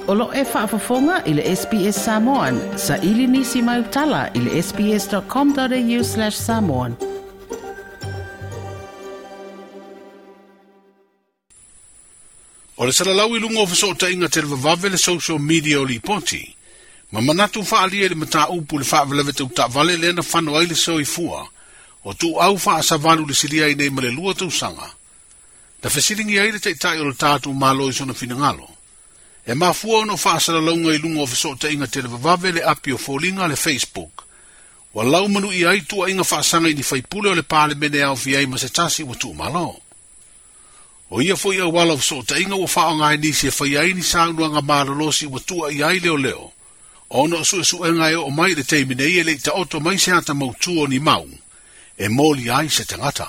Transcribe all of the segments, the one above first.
O lo o e faafofoga i le SBS Samoan. Saili nisi mau tala i le sbs.com.au/samoan. O le salalau i luga o fesootaiga televavave le social media o lipoti, ma manatu faaalia i le mataupu i le faalavelave tau taavale lea na fano ai le soifua o tuuau faasavalu le silia ai nei ma le 2 tausaga. Na fesiligia ai le taitai o le tatou Malo i sona finagalo. E mafua ona o faasalalauga i luga o fesootaiga televavave le api o foliga le Facebook. Ua laumanuia ai tuuaiga faasaga i ni faipule o le Palemene e aofia ai ma se tasi ua tuumalo. O ia foi auala o fesootaiga ua faaaoga e nisi e faia ai ni saunoaga malolosi ua tuuaia ai leoleo, ona o suesuega e oo mai i le taimi nei e le i taoto mai se ata mautū o ni mau, e moli ai se tagata.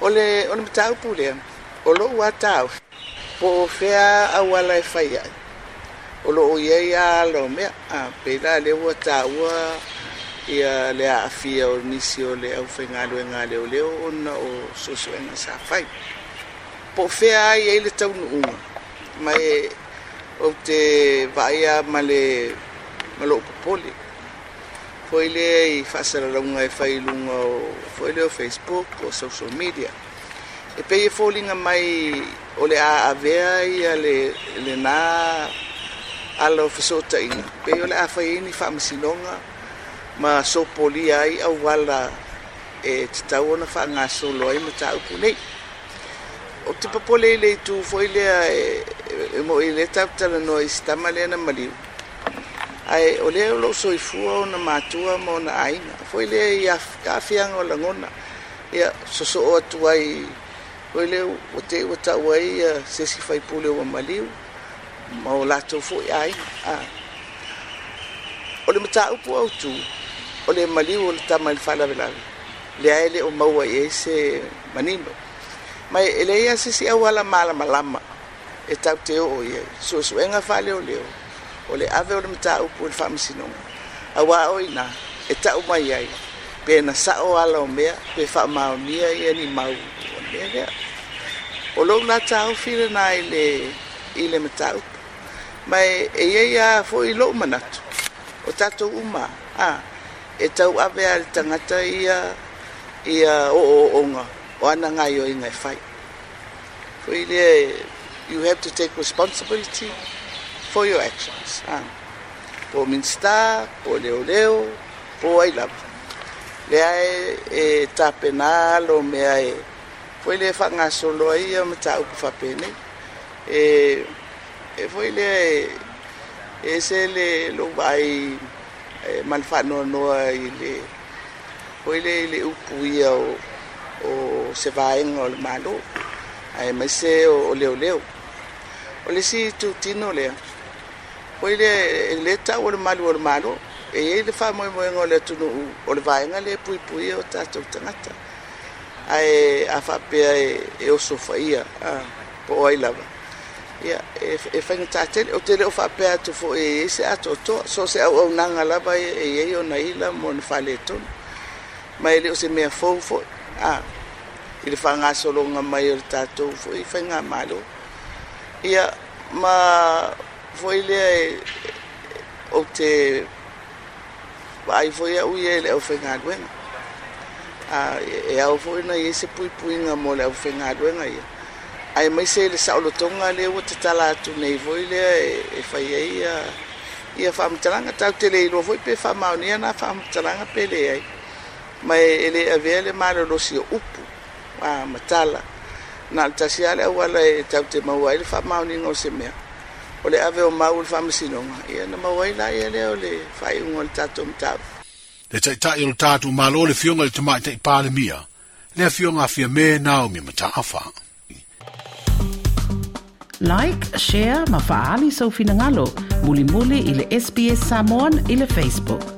O le, o le mataupu lea, o lou lava taofi, po o fea auala e fai ai, o lo o i ai lava ala o mea, a pei la lea ua taua ia le aafia o nisi o le aufaigaluega a leoleo ona o suesuega sa fai. Po o fea lava i ai le taunuuga, ma e ou te vaai lava ma le ma lou popole foi lea i faasalalauga e fai i luga o foi lea o Facebook o social media. E pei e foliga mai o le a avea ia le lena ala o fesootaiga, pei o le a fai ai ni faamasinoga ma sopolia ai auala e tatau ona faagasolo ai mataupu nei. Ou te popole i le itu foi lea e moi lea tatou talanoa i si tama lea na maliu, ae o lea o lo o soifua ona matua ma ona aiga foi lea i aafiaga o lagona, ia sosoo atu ai foi lea ua te i ua tau ai se isi faipule ua maliu ma o latou foi aiga. O le mataupu autu, o le maliu o le tama i le faalavelave, lea e le o maua i ai se manino. Ma e leai lava se isi auala malamalama e tatou te oo i ai. Suesuega faaleoleo, o le ave o le mataupu i le faamasinoga, aua o i ina e tau mai ai pe na sao ala o mea, pe faamaonia ia ni mau o le mea lea. O lou la taofi lena i le, i le mataupu. Ma e i ai lava foi lou manatu, o tatou uma, a, e tau ave lava i le tagata ia, ia ooooga o ana gaoioiga e fai. Foi lea, you have to take responsibility for your actions. A, po o Minisita, po o leoleo, po o ai lava. Lea e, e tapena ala o mea e foi lea e faagasolo ai ia mataupu faapenei. E, e foi lea e, e ese le lou vaai e, ma le faanoanoa i le foi lea i le upu ia o, o se vaega o le Malo, aemaise o, o leoleo. O le isi itutino lea, foi lea e le tau o le malu o le Malo, e i ai le faamoemoega o le atunuu o le vaega lea e puipuia o tatou tagata. Ae a faapea e, e osofaia, a, po o ai lava, ia, e, e faigata tele. Ou te le o faapea atu foi e i ai se atoatoa, so o se auaunaga lava e i ai ona ila ma ona faaletonu. Ma e le o se mea fou foi, a, i le faagasologa mai o le tatou foi faigamalo. Ia, ma foi lea e, ou te vaai foi au ia i le aufaigaluega. A, e ao foi ona i ai se puipuiga mo le aufaigaluega ia, aemaise i le saolotoga lea ua tatala atu nei foi lea e fai ai ia, ia faamatalaga. Tatou te le iloa foi pe faamaonia na faamatalaga pe leai, ma e le avea le malolosi o upu a, ma tala. Na o le tasi lava le auala e tatou te maua ai le faamaoniga o se mea, o le ave o mau i le faamasinoga, ia ona maua ai laia lea o le faaiuga o le tatou mataupu. Le Taitai o le tatou Malo le Afioga i le Tamaitai Palemia, le Afioga a Fiame Naomi Mataafa. Like, share ma faaali sou finagalo mulimuli i le SBS Samoan i le Facebook.